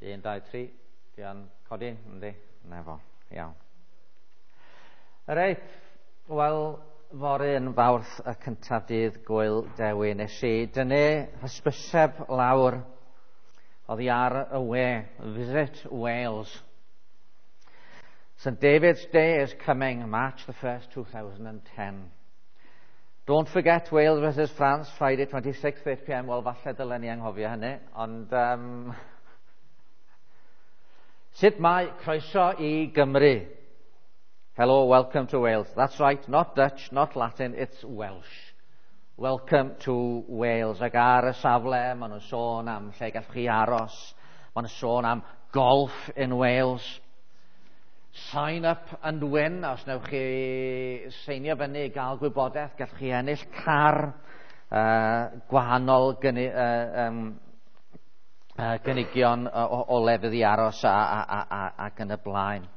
1, 2, 3. Di o'n codi? Yndi? Na fo. Iawn. Reit. Wel, fory yn Fawrth y cyntaf dydd Gwyl Dewi. Nes i dynnu hysbyseb lawr oddi ar y we. Visit Wales. St David's Day is coming, March the 1st, 2010. Don't forget Wales versus France, Friday 26th, 8 p.m. Wel, falle dylen ni anghofio hynny, ond sut mae croeso i Gymru? Hello, welcome to Wales. That's right, not Dutch, not Latin, it's Welsh. Welcome to Wales. Ac ar y safle, maen nhw'n sôn am lle gallwch chi aros. Maen nhw'n sôn am golf in Wales. Sign up and win. Os newch chi seinio fyny i gael gwybodaeth, gallwch chi ennill car, gwahanol gynigion o lefydd i aros ac yn y blaen.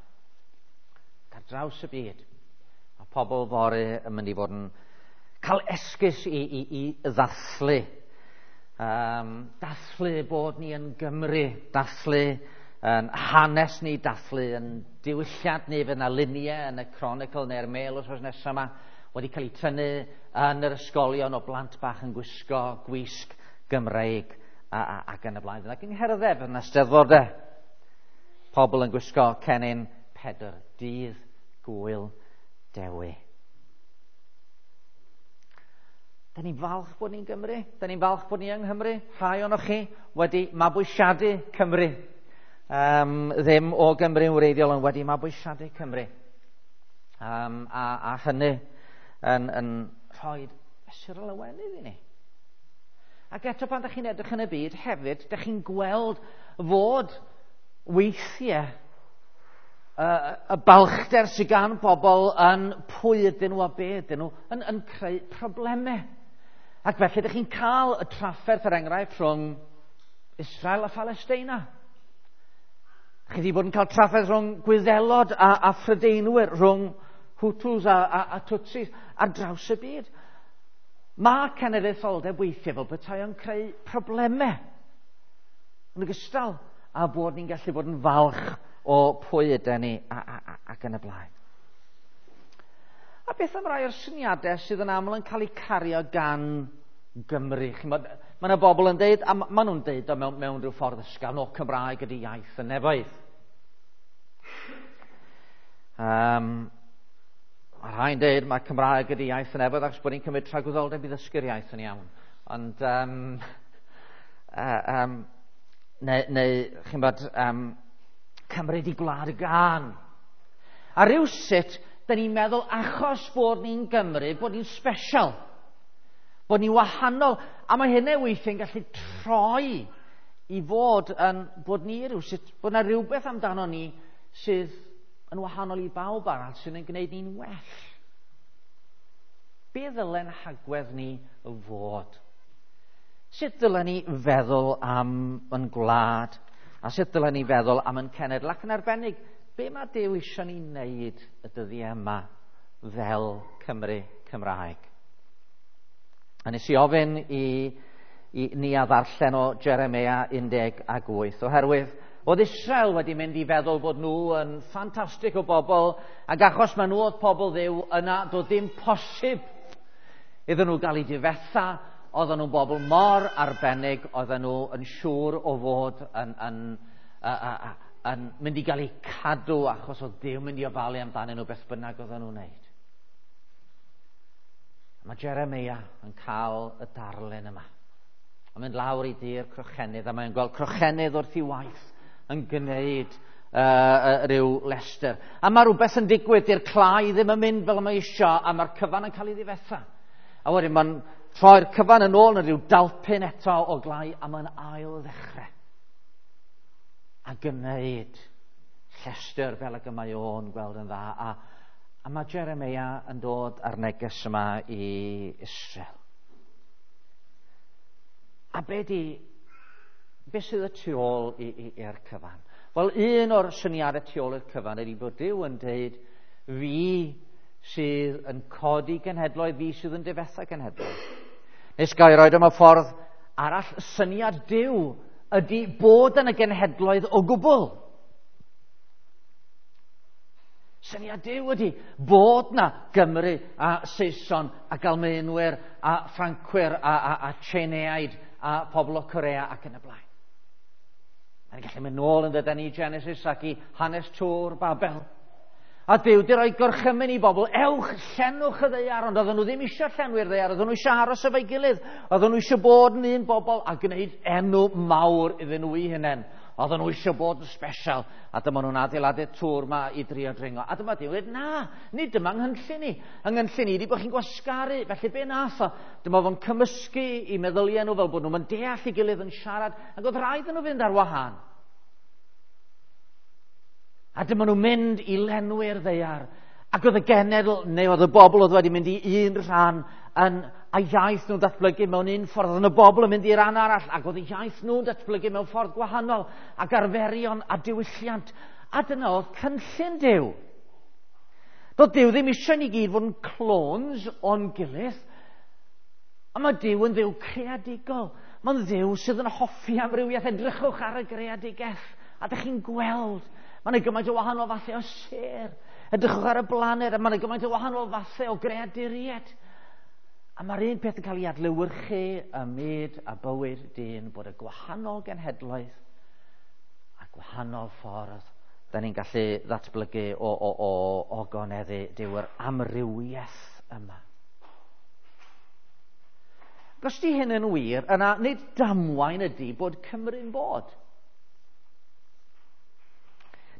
Ar draws y byd, mae pobl fory yn mynd i fod yn cael esgus i ddathlu. Dathlu bod ni yn Gymru, dathlu yn hanes ni, dathlu yn diwylliant ni. Fydd yna luniau yn y Chronicle neu'r Mail wythnos nesaf yma wedi cael eu tynnu yn yr ysgolion o blant bach yn gwisgo gwisg Gymreig ac yn y blaen. Fydd yna gyngherddau, fydd yna steddfodau, pobl yn gwisgo cennin Pedr, dydd Gwyl Dewi. Da ni'n falch bod ni'n Gymru, da ni'n falch bod ni yng Nghymru. Rhai ohonoch chi wedi mabwysiadu Cymru. Ddim o Gymru'n wreiddiol, ond wedi mabwysiadu Cymru. A hynny yn rhoi mesur o lawenydd i ni. Ac eto pan ydych chi'n edrych yn y byd hefyd, ydych chi'n gweld fod weithiau y balchder sydd gan bobl yn pwy ydyn nhw a be ydyn nhw yn creu problemau. Ac felly ydych chi'n cael y trafferth, er enghraifft, rhwng Israel a Phalesteina. Chi wedi bod yn cael trafferth rhwng Gwyddelod a Phrydeinwyr, rhwng Hutus a Tutsis ar draws y byd. Mae cenedlaetholdeb weithiau fel petai o'n creu problemau. Yn ogystal â bod ni'n gallu bod yn falch o pwy ydyn ni ac yn y blaen. A beth am rai o'r syniadau sydd yn aml yn cael eu cario gan Gymru? Chi'mod, mae yna bobl yn deud, a maen nhw'n deud o mewn rhyw ffordd ysgafn, o Cymraeg ydy iaith y nefoedd. Mae rhai'n deud mae Cymraeg ydy iaith y nefoedd achos bod ni'n cymryd tragwyddoldeb i ddysgu'r iaith yn iawn. Ond, neu chi'mod, Cymru di gwlad y gân. A rhywsut, da ni'n meddwl achos bod ni'n Gymru, bod ni'n special, bod ni'n wahanol, a mae hynny weithiau'n gallu troi i fod yn, bod ni rhywsut, bod yna rhywbeth amdano ni sydd yn wahanol i bawb arall sydd yn gwneud ni'n well. Be ddylen hagwedd ni fod? Sut dylen ni feddwl am yn gwlad? A sut dylen ni feddwl am yn cenedl? Ac yn arbennig, be mae Duw eisiau ni wneud y dyddiau yma fel Cymru Cymraeg? A nes i ofyn i ni a ddarllen o Jeremia 18, oherwydd oedd Israel wedi mynd i feddwl bod nhw yn ffantastig o bobl, ac achos maen nhw oedd pobl Dduw, yna doedd ddim posib iddyn nhw gael eu difetha. Oedden nhw'n bobl mor arbennig, oedden nhw yn siŵr o fod yn mynd i gael eu cadw, achos oedd Duw mynd i ofalu amdanyn nhw beth bynnag oedden nhw'n wneud. Mae Jeremia yn cael y darlun yma. Mae'n mynd lawr i dir crochenydd, a mae'n gweld crochenydd wrth ei waith yn gwneud rhyw lestr. A mae rhywbeth yn digwydd, di'r clai ddim yn mynd fel mae isio, a mae'r cyfan yn cael ei ddifetha. A wedyn mae'n troi'r cyfan yn ôl yn rhyw dalpyn eto o glai, a mae'n ail ddechrau. A gwneud llestr fel ag y mae o'n gweld yn dda. A mae Jeremia yn dod ar neges yma i Israel. A be sydd y tu ôl i'r cyfan? Wel, un o'r syniadau tu ôl i'r cyfan ydy bod Duw yn deud, fi sydd yn codi genhedloedd, fi sydd yn difetha genhedloedd. Nes gael ei roed am y ffordd arall, syniad Duw ydy bod yn y genhedloedd o gwbl. Syniad Duw ydy bod na Gymru a Saeson ac Almaenwyr a Ffrancwyr a Tsieineaid a pobl o Corea ac yn y blaen. Mae'n gallu mynd nôl yn dydyn i Genesis ac i hanes Tŵr Babel. A Duw di roi gorchymyn i bobl, ewch, llenwch y ddaear, ond oedden nhw ddim eisiau llenwi'r ddaear, oedden nhw eisiau aros efo'i gilydd, oedden nhw eisiau bod yn un bobl a gwneud enw mawr iddyn nhw eu hunain. Oedden nhw eisiau bod yn special, a dyma nhw'n adeiladu'r tŵr ma i drio dringo. A dyma Duw yn dweud, na, nid dyma nghynllun i. Nghynllun i ydi bod chi'n gwasgaru, felly be nath o? Dyma fo'n cymysgu i meddyliau nhw fel bod nhw'n deall ei gilydd yn siarad, ac oedd rhaid nhw fynd ar wahân. A dyma nhw'n mynd i lenwi'r ddaear. Ac oedd y genedl, neu oedd y bobl oedd wedi mynd i un rhan yn, a iaith nhw'n datblygu mewn un ffordd. Oedd y bobl yn mynd i ran arall, ac oedd y iaith nhw'n datblygu mewn ffordd gwahanol, ac arferion a diwylliant. A dyna oedd cynllun Duw. Doedd Duw ddim eisiau ni gyd fod yn clones o'n gilydd. A mae Duw yn Dduw creadigol. Mae'n Dduw sydd yn hoffi amrywiaeth. Edrychwch ar y greadigaeth. A dych chi'n gweld, mae yna gymaint o wahanol fathau o sêr. Edrychwch ar y blaned, a mae yna gymaint o wahanol fathau o greaduriaid. A mae'r un peth yn cael ei adlewyrchu ym myd a bywyd dyn, bod y gwahanol genhedloedd a gwahanol ffordd da ni'n gallu ddatblygu o ogoneddu Duw, yr amrywiaeth yma. Ac os di hyn yn wir, yna nid damwain ydy bod Cymru'n bod.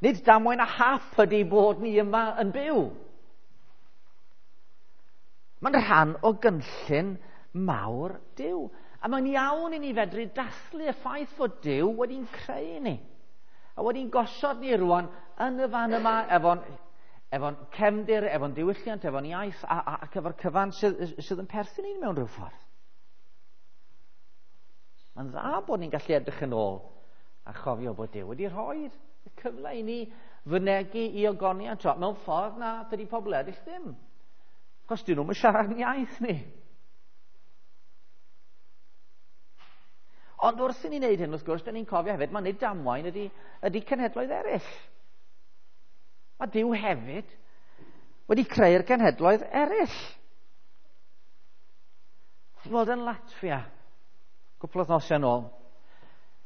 Nid damwain a hap ydy bod ni yma yn byw. Mae'n rhan o gynllun mawr Duw. A mae'n iawn i ni fedru dathlu y ffaith fod Duw wedi'n creu ni. A wedi'n gosod ni rwan yn y fan yma efo'n cefndir, efo'n diwylliant, efo'n iaith ac efo'r cyfan sydd yn perthyn i ni mewn rhyw ffordd. Mae'n dda bod ni'n gallu edrych yn ôl a chofio bod Duw wedi rhoi y cyfle i ni fynegi i ogoniant o mewn ffordd na dydy pobl eraill ddim. Achos dyn nhw'n siarad yn iaith ni. Ond wrth i ni wneud hyn, wrth gwrs, dyn ni'n cofio hefyd, mae nid damwain ydy cenhedloedd eraill. Mae Duw hefyd wedi creu'r cenhedloedd eraill. Ti'n gweld yn Latfia, cwpl o wythnosau yn ôl,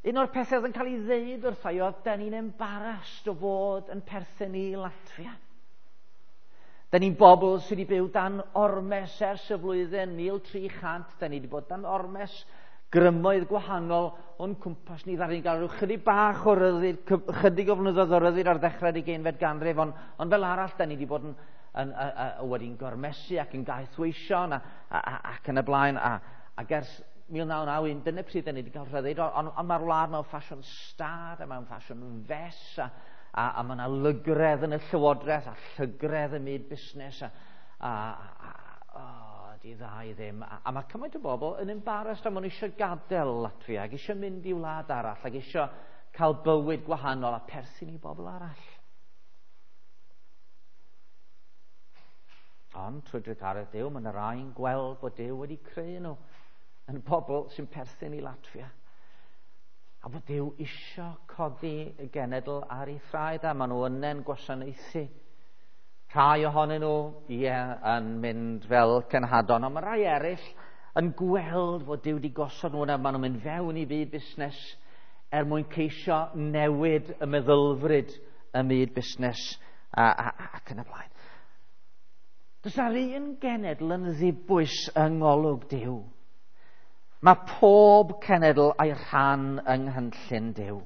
un o'r pethau oedd yn cael ei ddeud wrtha i oedd, da ni'n embarrassed o fod yn perthyn i Latfia. Da ni'n bobl sydd wedi byw dan ormes ers y flwyddyn 1300, da ni wedi bod dan ormes grymoedd gwahanol o'n cwmpas ni. Ddaru ni gael rhyw chydig bach o ryddid, chydig o flynyddoedd o ryddid ar ddechrau'r ugeinfed ganrif, ond fel arall da ni wedi bod wedi'n gormesu ac yn gaethweision ac yn y blaen, ac ers 1991, dyna pryd da ni wedi cael rhyddid, ond mae'r wlad mewn ffasiwn stad a mewn ffasiwn fes, a mae yna lygredd yn y llywodraeth a llygredd ym myd busnes di dda i ddim. A mae cymaint o bobl yn embarrassed a maen nhw eisiau gadael Latfia ac eisiau mynd i wlad arall ac eisiau cael bywyd gwahanol a perthyn i bobl arall. Ond trwy drugaredd Duw, mae yna rai'n gweld bod Duw wedi creu nhw yn bobl sy'n perthyn i Latfia. A bod Duw isio codi y genedl ar ei thraed, a maen nhw yna'n gwasanaethu. Rhai ohonyn nhw, ie, yn mynd fel cenhadon, ond mae rhai eraill yn gweld fod Duw wedi gosod nhw yna, maen nhw'n mynd fewn i fyd busnes er mwyn ceisio newid y meddylfryd y myd busnes ac yn y blaen. Does na'r un genedl yn ddibwys yng ngolwg Duw. Mae pob cenedl a'i rhan yng nghynllun Duw.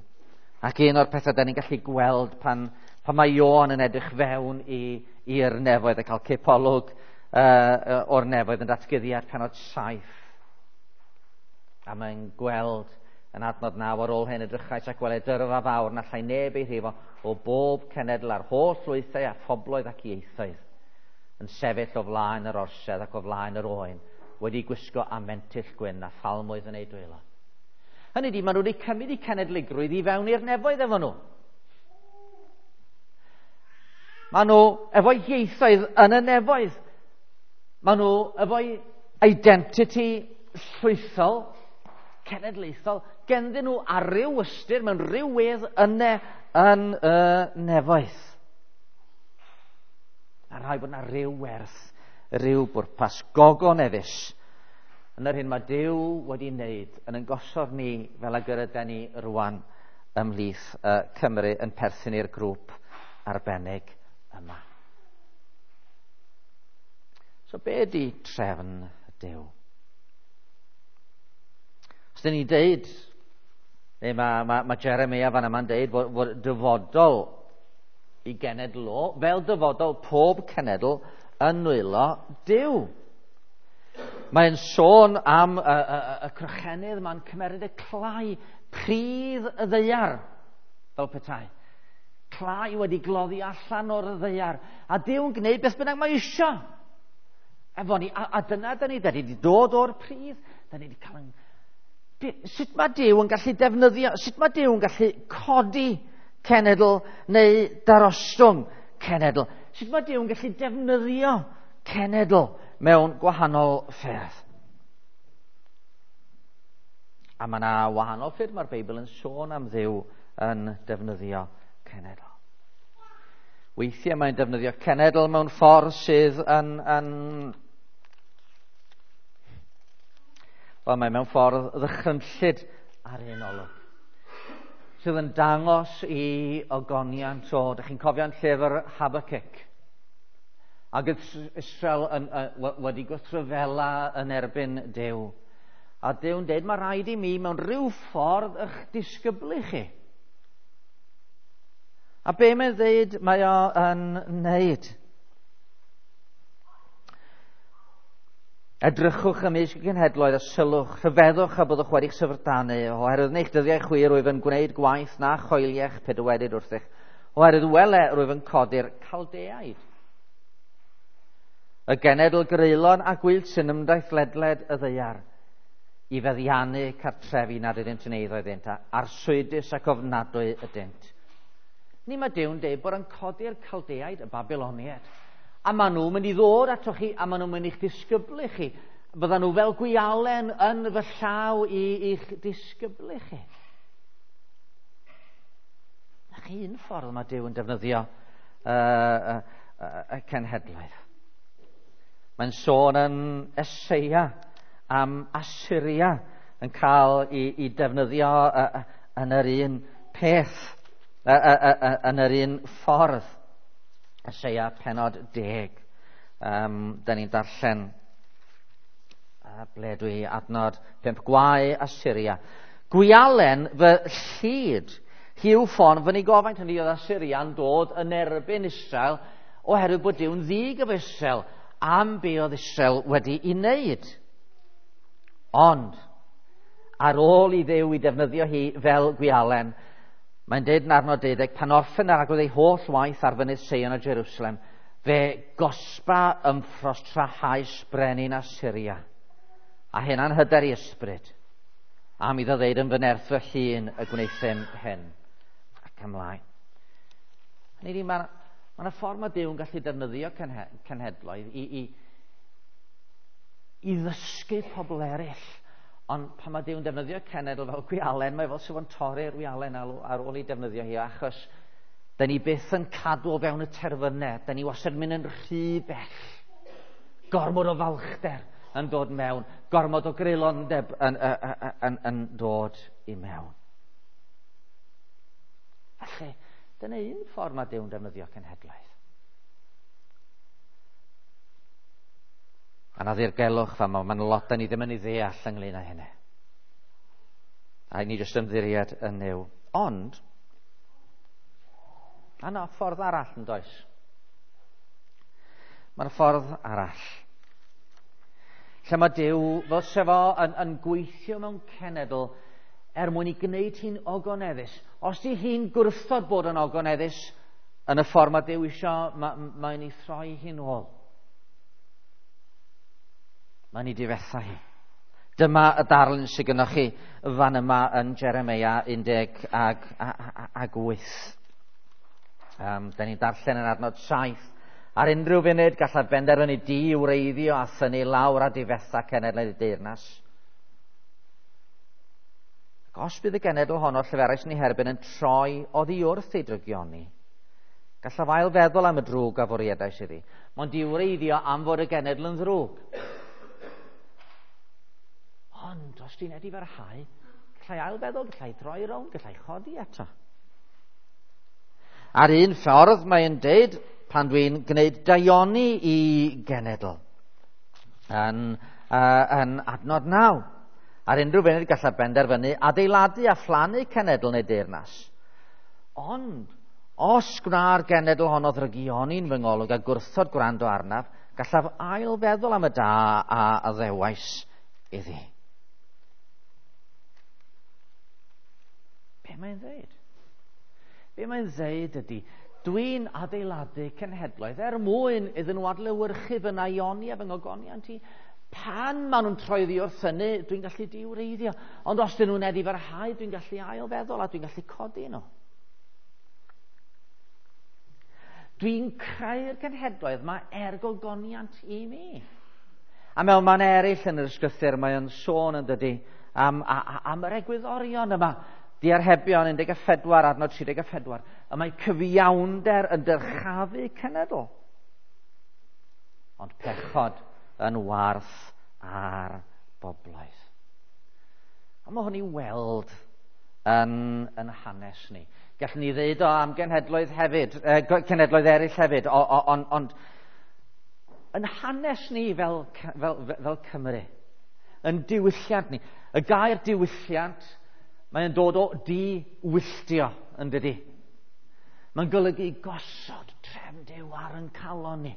Ac un o'r pethau da ni'n gallu gweld pan mae Ioan yn edrych fewn i'r nefoedd a cael cipolwg o'r nefoedd yn datguddiad pennod 7. A mae'n gweld yn adnod 9 ar ôl hyn edrychais ac weled dyrfa fawr na allai neb ei rhifo o bob cenedl a'r holl lwythau a phobloedd ac ieithoedd yn sefyll o flaen yr orsedd ac o flaen yr oen, wedi gwisgo â mentyll gwyn a phalmwydd yn eu dwylo. Hynny ydi, maen nhw wedi cymryd eu cenedligrwydd i fewn i'r nefoedd efo nhw. Maen nhw efo'u ieithoedd yn y nefoedd. Maen nhw efo'u identity llwythol. cenedlaethol genddyn nhw ar ryw ystyr mewn rhyw wedd yne yn y nefoedd. A rhaid bod yna ryw werth, ryw bwrpas gogoneddus yn yr hyn mae Duw wedi wneud yn ein gosod ni fel ag yr yden ni rwan ymhlith Cymru yn perthyn i'r grŵp arbennig yma. So be ydy trefn Duw? Os dyn ni'n deud, neu mae Jeremia fan yma'n deud fod dyfodol i genedl o, fel dyfodol pob cenedl yn nwylo Duw. Mae'n sôn am y crochenydd, mae'n cymeryd y clai, pridd y ddaear, fel petai. Clai wedi gloddi allan o'r ddaear. A Duw'n gwneud beth bynnag mae isio. Efo ni, a dyna da ni wedi dod o'r pridd, da ni wedi cael yn... Sut mae Duw yn gallu defnyddio, sut mae Duw yn gallu codi cenedl neu darostwng cenedl? Sut mae Duw yn gallu defnyddio cenedl mewn gwahanol ffyrdd? A mae yna wahanol ffyrdd mae'r Beibl yn sôn am Dduw yn defnyddio cenedl. Weithiau mae'n defnyddio cenedl mewn ffordd sydd yn wel, mae mewn ffordd ddychrynllyd ar un olwg, sydd yn dangos i ogoniant o, dych chi'n cofio'n llyfr Habakkuk, ac Israel wedi gwrthryfela yn erbyn Duw. A Duw'n deud, mae rhaid i mi mewn rhyw ffordd eich disgyblu chi. A be mae'n ddeud mae o yn wneud? Edrychwch ymysg y cenhedloedd a sylwch, rhyfeddwch a byddwch wedi'ch syfrdanu, oherwydd yn eich dyddiau chwi rwyf yn gwneud gwaith na choeliech pe dywedid wrthych, oherwydd wele rwyf yn codi'r Caldeaid. Y genedl greulon a gwyllt sy'n ymdaith ledled y ddaear, i feddiannu cartrefi nad ydynt yn eiddo iddynt, a arswydus ac ofnadwy ydynt. Ni mae Duw'n deud bod yn codi'r Caldeaid, y Babiloniaid, a maen nhw'n mynd i ddod atoch chi, a maen nhw'n mynd i'ch disgyblu chi. Byddan nhw fel gwialen yn fy llaw i i'ch disgyblu chi. Na chi un ffordd mae Duw yn defnyddio y cenhedloedd. Mae'n sôn yn Eseia am Asyria yn cael i defnyddio yn yr un peth, yn yr un ffordd. Eseia penod 10. Da ni'n darllen ble dwi adnod 5. Gwae Asyria. Gwialen fy llid, hiw ffon fy nigofaint. Hynny oedd Asyria'n dod yn erbyn Israel oherwydd bod Duw'n ddig efo Israel am be oedd Israel wedi ei wneud. Ond, ar ôl i Dduw i defnyddio hi fel gwialen, mae'n deud yn arnod 12, pan orffen ar agwedd ei holl waith ar fynydd Seion a Jerusalem, fe gosba ymffrost trahaus brenin Asyria, a hynna'n hyder i ysbryd, am iddo ddeud yn fy nerth fy hun y gwnaethum hyn, ac ymlaen. Hynny ydi, mae yna ffordd mae Duw yn gallu defnyddio cenhedloedd i ddysgu pobl eraill. Ond pan mae Duw'n defnyddio cenedl fel gwialen, mae fel sydd yn torri'r wialen ar ôl ei defnyddio hi, achos da ni byth yn cadw o fewn y terfynau, da ni wastad yn mynd yn rhy bell. Gormod o falchder yn dod mewn, gormod o greulondeb yn dod i mewn. Felly, dyna un ffordd mae Duw'n defnyddio cenhedlaeth. A na ddirgelwch fa, mae'n lot da ni ddim yn ei ddeall ynglyn â hynny. A ni jyst ymddiried yn Nuw. Ond, a na ffordd arall yn does? Mae'n ffordd arall. Lle mae Duw, fel sef o yn gweithio mewn cenedl er mwyn i gwneud hi'n ogoneddus. Os di hi'n gwrthod bod yn ogoneddus yn y ffordd mae Duw isio, mae'n ei throi hi'n ôl. Mae'n ei difetha hi. Dyma y darlun sydd gynnoch chi fan yma yn Jeremia 18. Da ni'n darllen yn adnod 7. Ar unrhyw funud gallaf benderfynu di wreiddio a thynnu lawr a difetha cenedlaeth y deyrnas. Ac os bydd y genedl honno lleferais yn ei herbyn yn troi oddi wrth ei drygioni, gallaf ail feddwl am y drwg a fwriedais iddi. Mae'n diwreiddio am fod y genedl yn ddrwg. Ond os ti'n edifarhau, gallai ail feddwl, gallai droi rownd, gallai chodi eto. Ar un ffordd mae'n deud pan dwi'n gwneud daioni i genedl yn adnod 9. Ar unrhyw funud gallaf benderfynu adeiladu a phlannu cenedl neu deyrnas. Ond os gwna'r genedl honno ddrygioni'n fy ngolwg a gwrthod gwrando arnaf, gallaf ail feddwl am y da a addewais iddi. Be mae'n dweud? Be mae'n dweud ydy, dwi'n adeiladu cenhedloedd er mwyn iddyn nhw adlewyrchu fy naioni a fy ngogoniant i. Pan maen nhw'n troi oddi wrth hynny, dwi'n gallu diwreiddio. Ond os dyn nhw'n edifarhau, dwi'n gallu ailfeddwl a dwi'n gallu codi nhw. Dwi'n creu'r cenhedloedd mae er gogoniant i mi. A mewn man eraill yn yr ysgrythur, mae o'n sôn yn dydy am yr egwyddorion yma. Diarhebion 14, adnod 34. Y mae cyfiawnder yn dyrchafu cenedl. Ond pechod yn warth ar bobloedd. A mae hwn i weld yn hanes ni. Gallwn ni ddeud o am genhedloedd hefyd, cenhedloedd eraill hefyd, ond yn hanes ni fel Cymru, yn diwylliant ni. Y gair diwylliant, mae'n dod o di-wylltio, yn dydi? Mae'n golygu gosod trefn Duw ar yn calon ni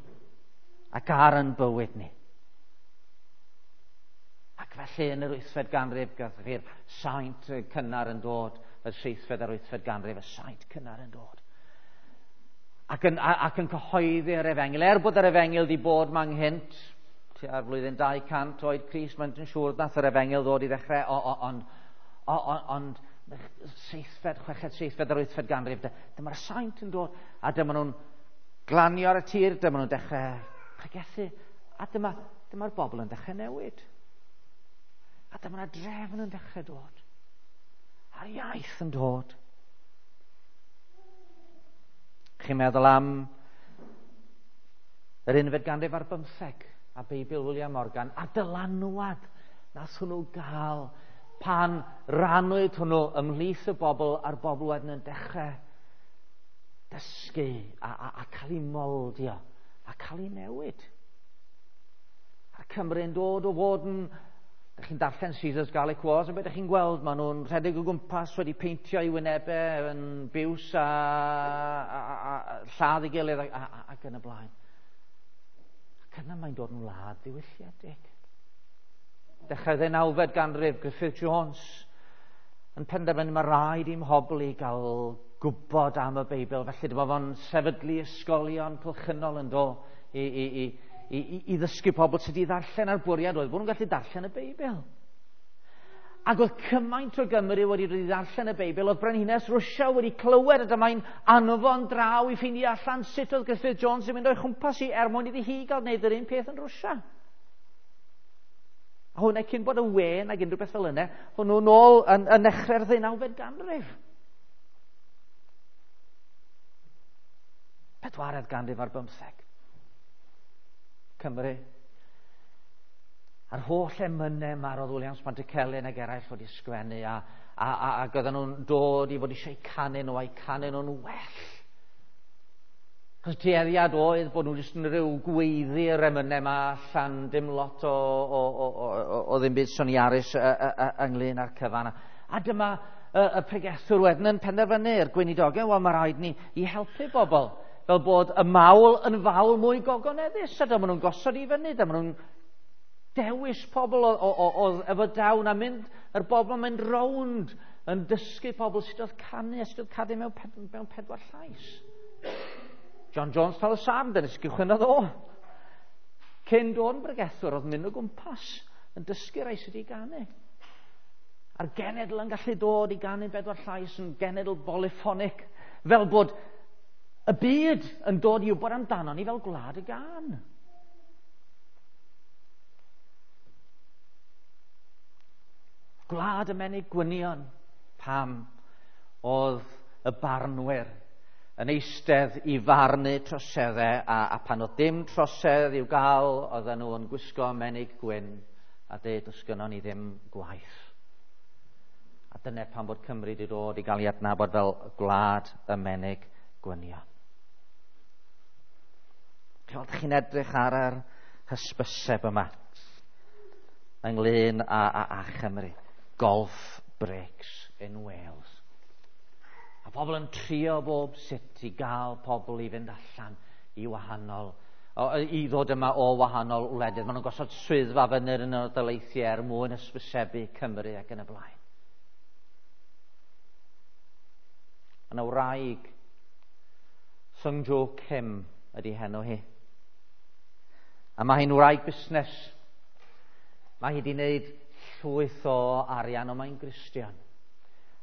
ac ar yn bywyd ni. Ac felly yn yr 8fed ganrif, gath chi'r saint cynnar yn dod, y 7fed a'r 8fed ganrif, y saint cynnar yn dod. Ac yn cyhoeddi'r efengyl. Er bod yr efengyl wedi bod ma nghynt, tua'r flwyddyn 200 oed Crist, mae'n siŵr nath yr efengyl ddod i ddechrau, ond 7fed, 6fed, 7fed a'r 8fed ganrif, dyma'r saint yn dod, a dyma nhw'n glanio ar y tir, dyma nhw'n dechrau pregethu, a dyma'r bobl yn dechrau newid. A dyma'r drefn yn dechrau dod. A'r iaith yn dod. Chi'n meddwl am yr 15 ganrif a Beibl William Morgan a dylanwad nath hwnnw gael pan rannwyd hwnnw ymhlith y bobl a'r bobl wedyn yn dechrau dysgu a cael ei moldio a cael ei newid. A'r Cymru'n dod o fod yn... Dych chi'n darllen Caesar's Gallic Wars, a beth ydych chi'n gweld? Maen nhw'n rhedeg o gwmpas wedi peintio i wynebau yn biws a lladd ei gilydd ac yn y blaen. Ac yna mae'n dod yn wlad ddiwylliedig. Dechrau 19fed ganrif, Griffith Jones yn penderfynu mae rhaid i'm hobl i gael gwybod am y Beibl. Felly dyma fo'n sefydlu ysgolion cylchynol yn do i ddysgu pobl sydd wedi ddarllen a'r bwriad oedd bod nhw'n gallu darllen y Beibl. Ac oedd cymaint o Gymru wedi dod i ddarllen y Beibl, oedd Brenhines Rwsia wedi clywed a dyma'n anfon draw i ffeindio allan sut oedd Griffith Jones yn mynd o'i chwmpas i er mwyn iddi hi gael gwneud yr un peth yn Rwsia. A hwnna cyn bod y wen ac unrhyw beth fel yna, hwnnw nôl yn nechrau'r 19fed ganrif. 4th ganrif ar 15. Cymru. A'r holl emynau marodd Williams Pantycelyn ac eraill wedi sgwennu ac oedden nhw'n dod i fod eisiau canu nhw a'i canu nhw'n well. Chos tueddiad oedd bod nhw jyst yn rhyw gweiddi'r emynau yma allan, dim lot o ddim byd soniarus ynglyn â'r cyfan. A dyma y pregethwr wedyn yn penderfynu'r gweinidogion, wel mae rhaid ni i helpu bobl fel bod y mawl yn fawl mwy gogoneddus, a dyma nhw'n gosod i fyny, dyma nhw'n dewis pobl o efo dawn a mynd, yr bobl yn mynd rownd yn dysgu pobl sut oedd canu a sut oedd canu mewn pedwar llais. John Jones Tal-y-sarn, dyna sut gychwynnodd o. Cyn dod yn bregethwr, oedd mynd o gwmpas yn dysgu rai sydd i ganu. A'r genedl yn gallu dod i ganu bedwar llais yn genedl polyphonic, fel bod y byd yn dod i wybod amdano ni fel gwlad y gân. Gwlad y menig gwynion. pam oedd y barnwyr yn eistedd i farnu troseddau, a pan oedd dim trosedd i'w gael, oedden nhw yn gwisgo menig gwyn a dweud, does gynnon ni ddim gwaith. A dyna pam bod Cymru wedi dod i gael ei adnabod fel gwlad y menig gwynion. Chi'n chi'n edrych ar yr hysbyseb yma ynglyn â Chymru. Golf breaks in Wales. A pobl yn trio bob sut i gael pobl i fynd allan i wahanol, i ddod yma o wahanol wledydd. Maen nhw'n gosod swyddfa fyny yn y daleithiau er mwyn hysbysebu Cymru ac yn y blaen. Yna wraig, Sung Jo Kim ydy henw hi. A mae hi'n wraig busnes. Mae hi wedi wneud llwyth o arian, ond mae'n Gristion.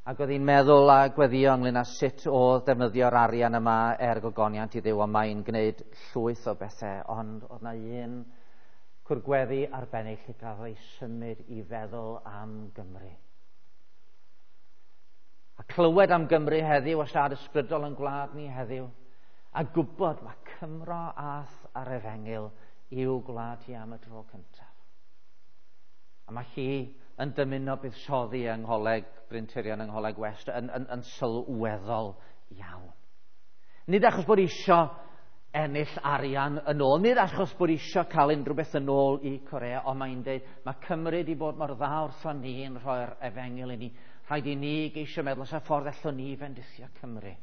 Ac oedd hi'n meddwl a gweddio ynglyn â sut oedd defnyddio'r arian yma er gogoniant i Dduw, ond mae'n gwneud llwyth o bethau, ond oedd na un cwrgweddi arbennig lle gafodd ei symud i feddwl am Gymru. A clywed am Gymru heddiw, a siarad ysbrydol yn gwlad ni heddiw, a gwybod mae Cymro ath ar efengyl i'w gwlad hi am y tro cyntaf. A mae hi yn dymuno buddsoddi yng Ngholeg Bryn Tirion, yng Ngholeg West, yn sylweddol iawn. Nid achos bod isio ennill arian yn ôl, nid achos bod isio cael unrhyw beth yn ôl i Corea, ond mae'n dweud, mae Cymru wedi bod mor dda wrthon ni yn rhoi'r efengyl i ni. Rhaid i ni geisio meddwl os y ffordd allwn ni fendithio Cymru.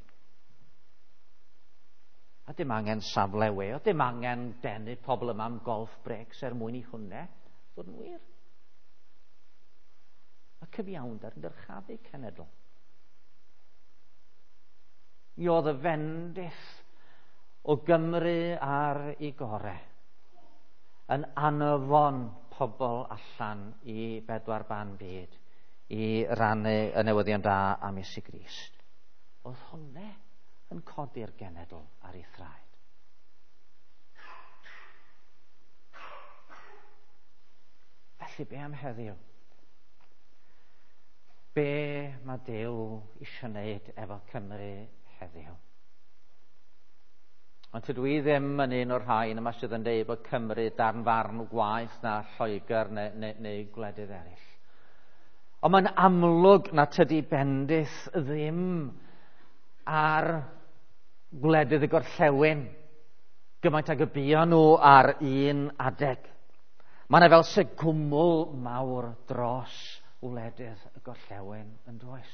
A dim angen safle we, o dim angen denu pobl yma am golf breaks er mwyn i hwnna fod yn wir. Mae cyfiawnder yn dyrchafu cenedl. Mi oedd y fendith o Gymru ar ei gore yn anfon pobl allan i bedwar ban byd i rannu y newyddion da am Iesu Grist. Oedd hwnna yn codi'r genedl ar ei thraed. Felly be am heddiw? Be mae Duw eisiau wneud efo Cymru heddiw? Ond tydw i ddim yn un o'r rhai yma sydd yn dweud bod Cymru darn farn gwaeth na Lloegr neu gwledydd eraill. Ond mae'n amlwg na tydi bendith ddim ar gwledydd y gorllewin gymaint ag y buon nhw ar un adeg. Mae yna fel se gwmwl mawr dros wledydd y gorllewin yn does.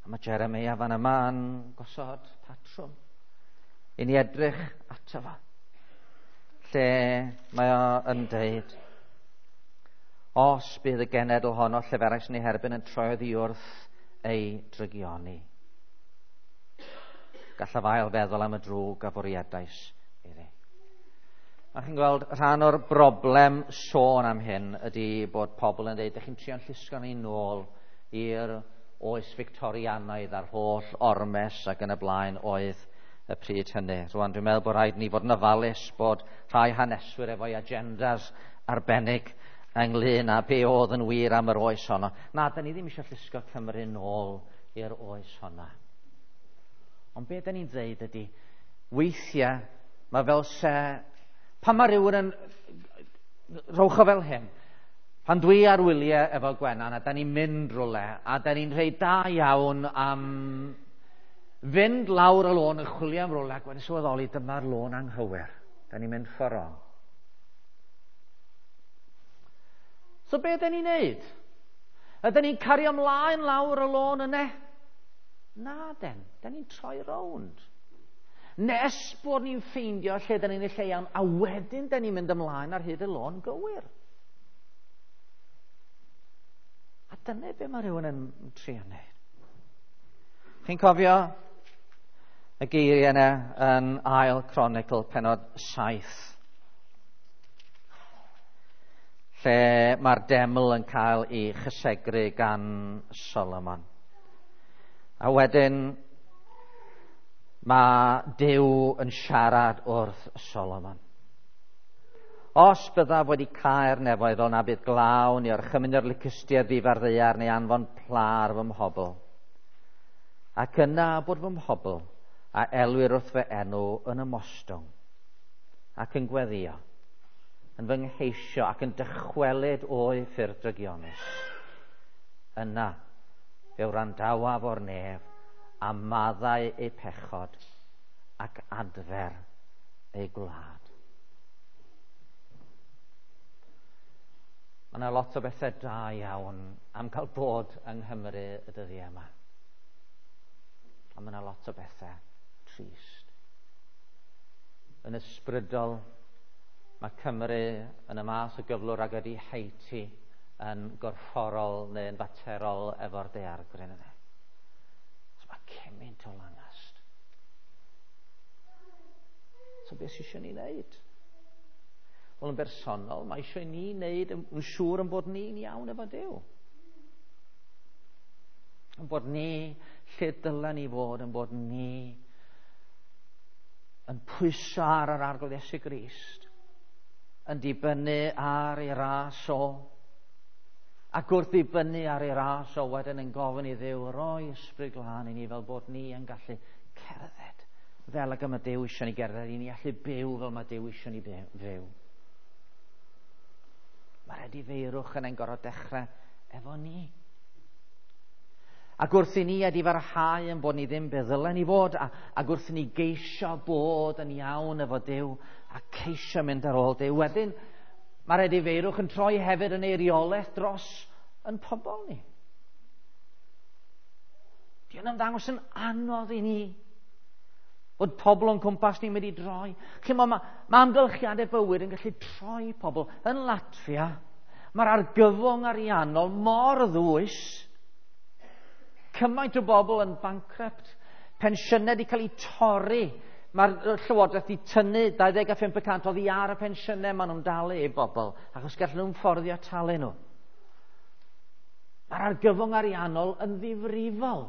A mae Jeremia fan yma yn gosod patrwm i ni edrych ato fo, lle mae o yn deud, os bydd y genedl honno lleferais yn ei herbyn yn troi oddi wrth ei drygioni, gallaf ail feddwl am y drwg a fwriadais iddi. A chi'n gweld, rhan o'r broblem sôn am hyn ydy bod pobl yn dweud, ydych chi'n trio'n llusgo ni nôl i'r oes Victorianaidd a'r holl ormes ac yn y blaen oedd y pryd hynny. Rwan, dwi'n meddwl bod rhaid ni fod yn ofalus bod rhai haneswyr efo'i agendas arbennig ynglyn â be oedd yn wir am yr oes honno. Na, da ni ddim eisiau llusgo Cymru nôl i'r oes honna. Ond be da ni'n dweud ydy, weithiau mae fel se... Pan mae rhywun yn... Rhowch o fel hyn. Pan dwi ar wyliau efo Gwenan a da ni'n mynd rhywle a da ni'n rhoi da iawn am fynd lawr y lôn yn chwilio am rhywle ac wedyn sylweddoli dyma'r lôn anghywir. Da ni'n mynd ffordd wrong. So be da ni'n neud? Ydyn ni'n cario ymlaen lawr y lôn yna? Na den, da ni'n troi rownd. Nes bod ni'n ffeindio lle da ni'n y lle iawn, a wedyn da ni'n mynd ymlaen ar hyd y lôn gywir. A dyna be mae rhywun yn trio wneud. Chi'n cofio y geiriau yna yn Ail Cronicl penod 7, lle mae'r deml yn cael ei chysegru gan Solomon. A wedyn mae Duw yn siarad wrth Solomon. Os byddaf wedi cau'r nefoedd fel na bydd glaw neu orchymyn yr licystiau ddifar ddaear neu anfon pla ar fy mhobl. Ac yna bod fy mhobl a elwir wrth fy enw yn ymostwng ac yn gweddio, yn fy ngheisio ac yn dychwelyd o'i ffyrdd drygionus. Yna fe wrandawaf o'r nef a maddau eu pechod ac adfer eu gwlad. Mae yna lot o bethau da iawn am cael bod yng Nghymru y dyddiau yma. Ond mae yna lot o bethau trist. Yn ysbrydol, mae Cymru yn y math o gyflwr ag ydy Haiti yn gorfforol neu yn faterol efo'r daeargryn yna. So mae cymaint o lanast. So beth sydd eisiau ni wneud? Wel, yn bersonol, mae eisiau ni wneud yn siŵr yn bod ni'n iawn efo Duw. Yn bod ni lle dylen ni fod, yn bod ni yn pwyso ar yr Arglwydd Iesu Grist, yn dibynnu ar ei ras o, ac wrth ddibynnu ar ei ras o wedyn yn gofyn i Dduw roi ysbryd glân i ni fel bod ni yn gallu cerdded fel ag y mae Duw eisiau ni gerdded, i ni allu byw fel mae Duw eisiau ni fyw. Mae'r edifeirwch yn ein gorfod dechrau efo ni. Ac wrth i ni edifarhau yn bod ni ddim be ddylen ni fod, ac wrth i ni geisio bod yn iawn efo Duw, a ceisio mynd ar ôl Duw, wedyn mae'r edifeirwch yn troi hefyd yn eiriolaeth dros yn pobl ni. Di hwn ymddangos yn anodd i ni bod pobl o'n cwmpas ni'n mynd i droi. Chi'mod, mae amgylchiadau bywyd yn gallu troi pobl. Yn Latfia, mae'r argyfwng ariannol mor ddwys. Cymaint o bobl yn bankrupt. Pensiynau wedi cael eu torri. Mae'r llywodraeth wedi tynnu 25% oddi ar y pensiynau maen nhw'n dalu i bobl, achos gallen nhw'n fforddio talu nhw. Mae'r argyfwng ariannol yn ddifrifol.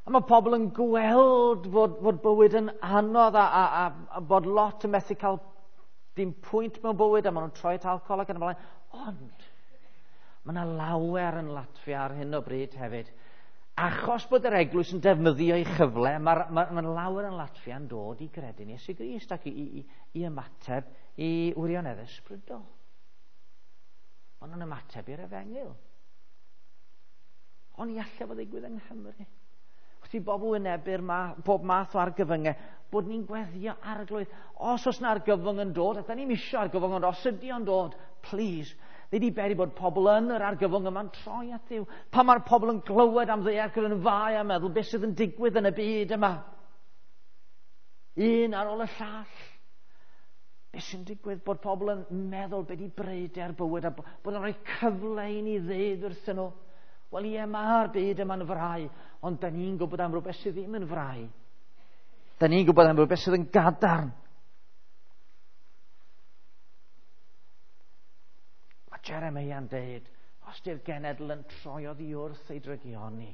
A mae pobl yn gweld fod bywyd yn anodd a bod lot yn methu cael dim pwynt mewn bywyd a maen nhw'n troi at alcohol ac yn y blaen. Ond mae yna lawer yn Latfia ar hyn o bryd hefyd. Achos bod yr eglwys yn defnyddio ei chyfle, mae lawer yn Latfia yn dod i gredu'n Iesu Grist ac i ymateb i wirionedd ysbrydol. Maen nhw'n ymateb i'r efengyl. Ond i allai fod ddigwydd yng Nghymru. Wrth i bobl wynebu'r pob math o argyfyngau, bod ni'n gweddio Arglwydd. Os oes na argyfwng yn dod, a da ni'n isio argyfwng, ond os ydy o'n dod, please, Nid i beri bod pobl yn yr argyfwng yma'n troi at Dduw. Pan mae'r pobl yn glywed am ddaeargryn yn fai a meddwl beth sydd yn digwydd yn y byd yma. Un ar ôl y llall. Beth sy'n digwydd bod pobl yn meddwl beth i breuder bywyd a bod yn rhoi cyfle i ni ddeud wrthyn nhw. Wel ie, mae'r byd yma'n frau, ond da ni'n gwybod am rhywbeth sydd ddim yn frau. Da ni'n gwybod am rhywbeth sydd yn gadarn. Mae Jeremiah'n deud, os di'r genedl yn troi oddi wrth ei drygioni.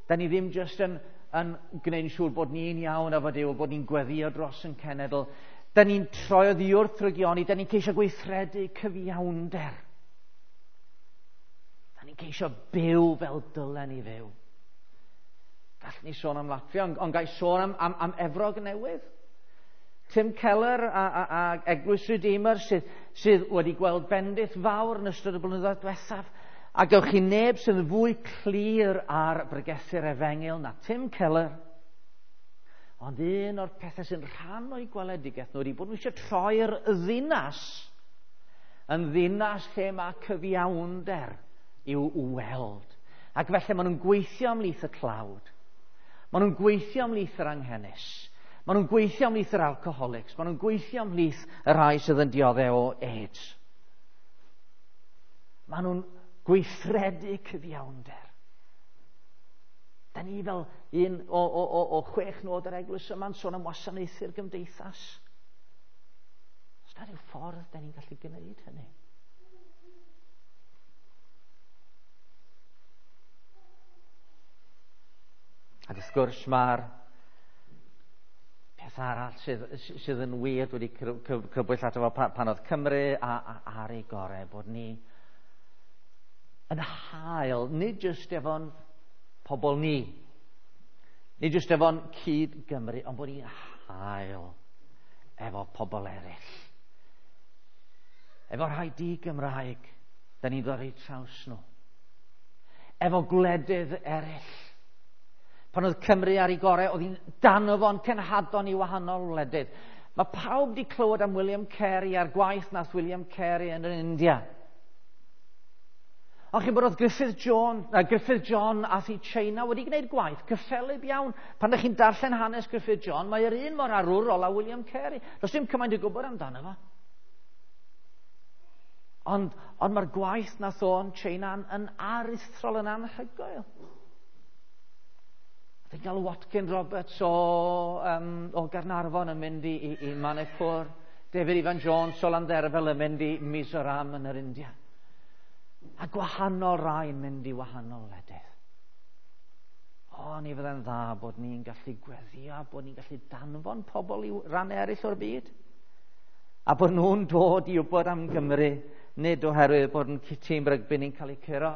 Da ni ddim jyst yn gwneud yn siŵr bod ni'n iawn efo Duw, bod ni'n gweddio dros yn cenedl. Da ni'n troi oddi wrth drygioni, da ni'n ceisio gweithredu cyfiawnder. Da ni'n ceisio byw fel dylen ni fyw. Gallwn ni sôn am Latfia, ond gai sôn am Efrog Newydd. Tim Keller a Eglwys Redeemer sydd wedi gweld bendith fawr yn ystod y blynyddoedd diwethaf. A gewch chi neb sydd yn fwy clir ar bregethu'r efengyl na Tim Keller. Ond un o'r pethau sy'n rhan o'i gweledigaeth nhw ydy bod nhw eisiau troi'r ddinas yn ddinas lle mae cyfiawnder i'w weld. Ac felly maen nhw'n gweithio ymhlith y tlawd. Maen nhw'n gweithio ymhlith yr anghenus. Maen nhw'n gweithio ymhlith yr alcoholics. Maen nhw'n gweithio ymhlith y rhai sydd yn dioddef o AIDS. Maen nhw'n gweithredu cyfiawnder. Da ni fel un o 6 nod yr eglwys yma'n sôn am wasanaethu'r gymdeithas. Os na rhyw ffordd da ni'n gallu gwneud hynny. Ac wrth gwrs mae'r peth Peth arall sydd yn wir wedi crybwyll ato fo pan oedd Cymru ar ei gorau, bod ni yn hael, nid jyst efo'n pobl ni, nid jyst efo'n cyd Gymru, ond bod ni'n hael efo pobl eraill. Efo rhai di-Gymraeg, da ni'n dod eu traws nhw. Efo gwledydd eraill. Pan oedd Cymru ar ei gorau, oedd hi'n danfon cenhadon i wahanol wledydd. Mae pawb wedi clywed am William Carey a'r gwaith nath William Carey yn yr India. Ond chi'n bod oedd Griffith John ath i China wedi gwneud gwaith cyffelyb iawn. Pan ydych chi'n darllen hanes Griffith John, mae yr un mor arwrol â William Carey. Does dim cymaint o gwybod amdano fo. Ond mae'r gwaith nath o yn China yn aruthrol, yn anhygoel. Dwi'n gael Watkin Roberts o Gaernarfon yn mynd i Manipur. David Ifan Jones o Landderfel yn mynd i Mizoram yn yr India. A gwahanol rai yn mynd i wahanol wledydd. O, ni fydde'n dda bod ni'n gallu gweddio, bod ni'n gallu danfon pobl i rannau eraill o'r byd. A bod nhw'n dod i wybod am Gymru, nid oherwydd bod yn tîm rygbi ni'n cael ei curo.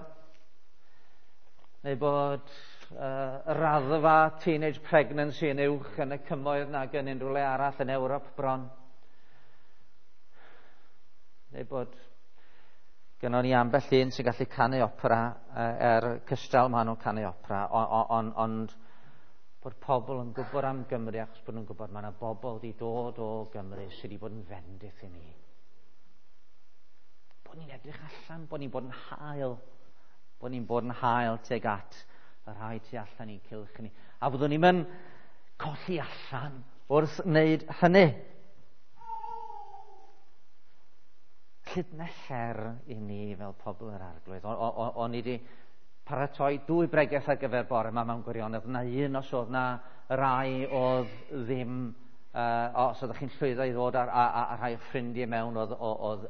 Neu bod raddfa teenage pregnancy yn uwch yn y cymoedd nag yn unrhyw le arall yn Ewrop bron. Neu bod gynnon ni ambell un sy'n gallu canu opera, cystal maen nhw'n canu opera, ond bod pobl yn gwybod am Gymru achos bod nhw'n gwybod mae yna bobl wedi dod o Gymru sydd wedi bod yn fendith i ni. Bod ni'n edrych allan, bod ni'n bod yn hael, bod ni'n bod yn hael tuag at y rhai tu allan i'n cylch ni. A byddwn ni'n mynd colli allan wrth wneud hynny. Dyna her i ni fel pobl yr Arglwydd. O'n i wedi paratoi 2 bregeth ar gyfer bore yma mewn gwirionedd. Na un os oedd na rai oedd ddim, os oeddech chi'n llwyddo i ddod a rhai o ffrindiau mewn oedd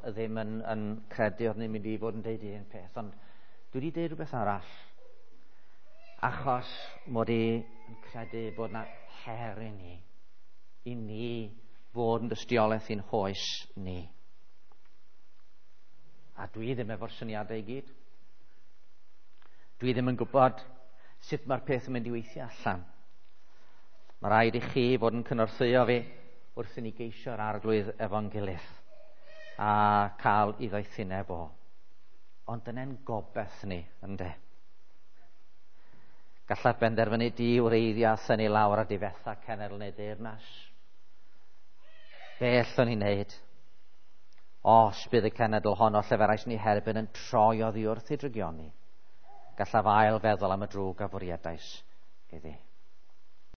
ddim yn credu oedd ni'n mynd i fod yn deud un peth. Ond dwi wedi deud rhywbeth arall, achos mod i yn credu bod na her i ni fod yn dystiolaeth i'n hoes ni. A dwi ddim efo'r syniadau i gyd. Dwi ddim yn gwybod sut mae'r peth yn mynd i weithio allan. Mae rhaid i chi fod yn cynorthwyo fi wrth i ni geisio'r Arglwydd efo'n gilydd a cael ei ddoethineb o. Ond dyna'n gobeith ni, ynde? Gallaf benderfynu di wreiddio a thynnu lawr a difetha cenedl neu deyrnas. Be allwn ni wneud? Os bydd y cenedl honno lleferais ni herbyn yn troi oddi wrth ei drygioni, gallaf ail feddwl am y drwg a fwriadais